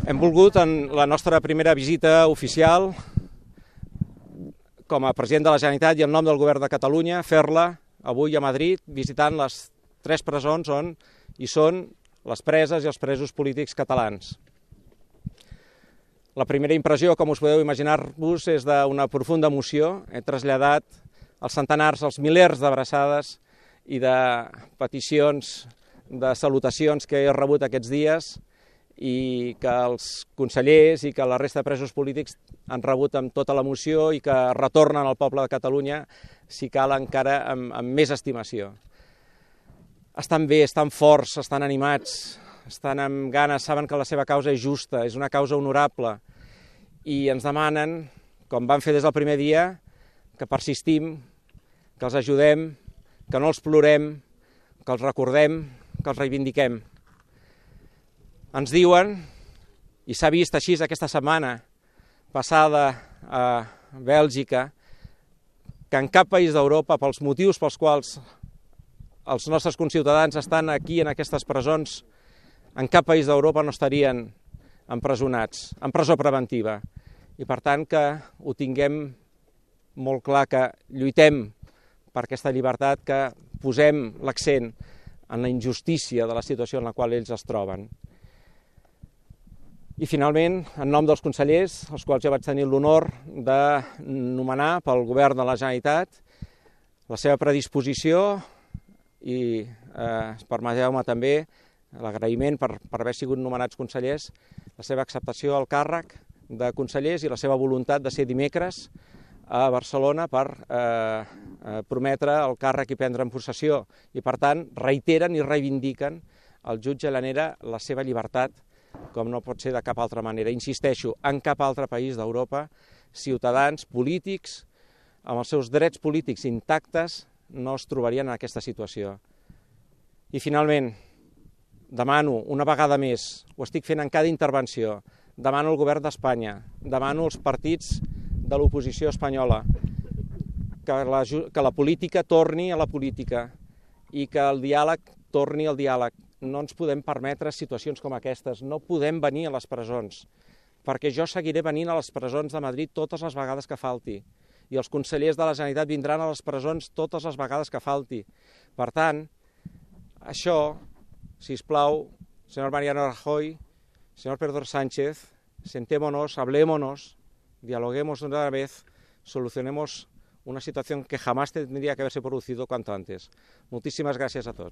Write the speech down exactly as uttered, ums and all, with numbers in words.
Hem volgut, en la nostra primera visita oficial, com a president de la Generalitat i en nom del Govern de Catalunya, fer-la avui a Madrid, visitant les tres presons on hi són les preses i els presos polítics catalans. La primera impressió, com us podeu imaginar-vos, és d'una profunda emoció. He traslladat els centenars, els milers d'abraçades i de peticions, de salutacions que he rebut aquests dies i que els consellers i que la resta de presos polítics han rebut amb tota l'emoció i que retornen al poble de Catalunya, si cal encara amb, amb més estimació. Estan bé, estan forts, estan animats, estan amb ganes, saben que la seva causa és justa, és una causa honorable i ens demanen, com van fer des del primer dia, que persistim, que els ajudem, que no els plorem, que els recordem, que els reivindiquem. Ens diuen, i s'ha vist així aquesta setmana passada a Bèlgica, que en cap país d'Europa, pels motius pels quals els nostres conciutadans estan aquí en aquestes presons, en cap país d'Europa no estarien empresonats, en presó preventiva. I per tant que ho tinguem molt clar, que lluitem per aquesta llibertat, que posem l'accent en la injustícia de la situació en la qual ells es troben. I finalment, en nom dels consellers, els quals ja vaig tenir l'honor de nomenar pel Govern de la Generalitat, la seva predisposició i, eh, permeteu-me també, l'agraïment per, per haver sigut nomenats consellers, la seva acceptació al càrrec de consellers i la seva voluntat de ser dimecres a Barcelona per eh, prometre el càrrec i prendre en possessió. I per tant, reiteren i reivindiquen al jutge Llanera la seva llibertat, com no pot ser de cap altra manera. Insisteixo, en cap altre país d'Europa, ciutadans polítics, amb els seus drets polítics intactes, no es trobarien en aquesta situació. I finalment, demano una vegada més, ho estic fent en cada intervenció, demano al Govern d'Espanya, demano als partits de l'oposició espanyola, que la, que la política torni a la política i que el diàleg torni al diàleg. No ens podem permetre situacions com aquestes, no podem venir a les presons, perquè jo seguiré venint a les presons de Madrid totes les vegades que falti, i els consellers de la Generalitat vindran a les presons totes les vegades que falti. Per tant, això, sisplau, senyor Mariano Rajoy, senyor Pedro Sánchez, sentémonos, hablémonos, dialoguemos de una vez, solucionemos una situación que jamás tendría que haberse producido cuanto antes. Muchísimas gracias a todos.